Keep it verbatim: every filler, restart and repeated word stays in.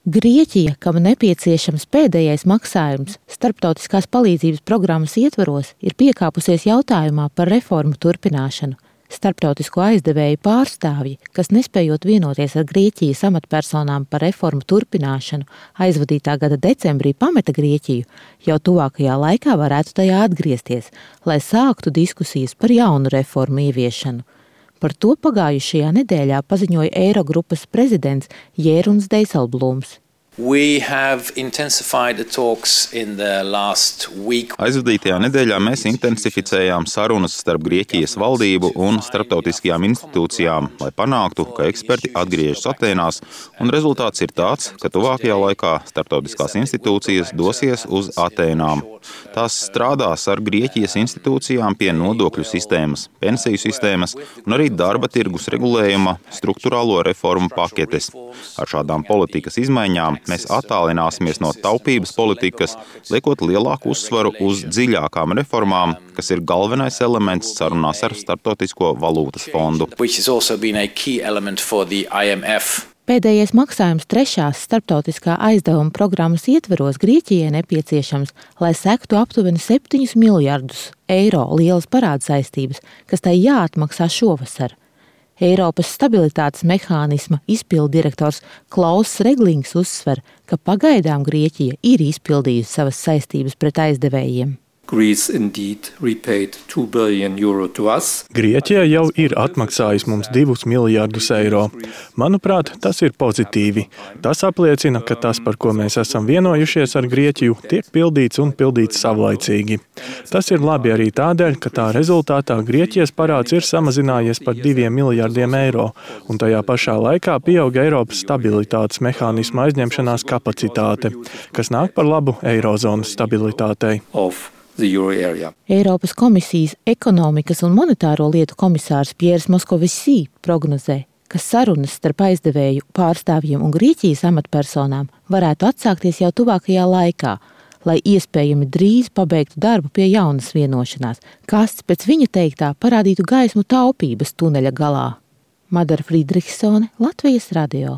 Grieķija, kam nepieciešams pēdējais maksājums starptautiskās palīdzības programmas ietvaros, ir piekāpusies jautājumā par reformu turpināšanu. Starptautisko aizdevēju pārstāvji, kas nespējot vienoties ar Grieķijas amatpersonām par reformu turpināšanu, aizvadītā gada decembrī pameta Grieķiju, jau tuvākajā laikā varētu tajā atgriezties, lai sāktu diskusijas par jaunu reformu ieviešanu. Par to pagājušajā nedēļā paziņoja Eirogrupas prezidents Jeruns Dijsselbloems. Aizvadītajā nedēļā mēs intensificējām sarunas starp Grieķijas valdību un starptautiskajām institūcijām, lai panāktu, ka eksperti atgriežas Atēnās, un rezultāts ir tāds, ka tuvākajā laikā starptautiskās institūcijas dosies uz Atēnām. Tās strādās ar Grieķijas institūcijām pie nodokļu sistēmas, pensiju sistēmas un arī darba tirgus regulējuma struktūrālo reformu paketes. Ar šādām politikas izmaiņām mēs attālināsimies no taupības politikas, liekot lielāku uzsvaru uz dziļākām reformām, kas ir galvenais elements sarunās ar Starptautisko valūtas fondu. Pēdējais maksājums trešās starptautiskā aizdevuma programmas ietveros Grieķijai nepieciešams, lai sektu aptuveni septiņus miljardus eiro lielas parādsaistības, kas tai jāatmaksā šovasar. Eiropas stabilitātes mehānisma izpilddirektors Klauss Reglings uzsver, ka pagaidām Grieķija ir izpildījusi savas saistības pret aizdevējiem. Grieķija jau ir atmaksājusi mums divus miljardus eiro. Manuprāt, tas ir pozitīvi. Tas apliecina, ka tas, par ko mēs esam vienojušies ar Grieķiju, tiek pildīts un pildīts savlaicīgi. Tas ir labi arī tādēļ, ka tā rezultātā Grieķijas parāds ir samazinājies par diviem miljardiem eiro, un tajā pašā laikā pieauga Eiropas stabilitātes mehānisma aizņemšanās kapacitāte, kas nāk par labu eirozonas stabilitātei. Eiropas komisijas ekonomikas un monetāro lietu komisārs Piers Moskovisī prognozē, ka sarunas starp aizdevēju pārstāvjiem un Grieķijas amatpersonām varētu atsākties jau tuvākajā laikā, lai iespējami drīz pabeigtu darbu pie jaunas vienošanās, kas, pēc viņa teiktā, parādītu gaismu taupības tuneļa galā. Madara Friedrichsone, Latvijas radio.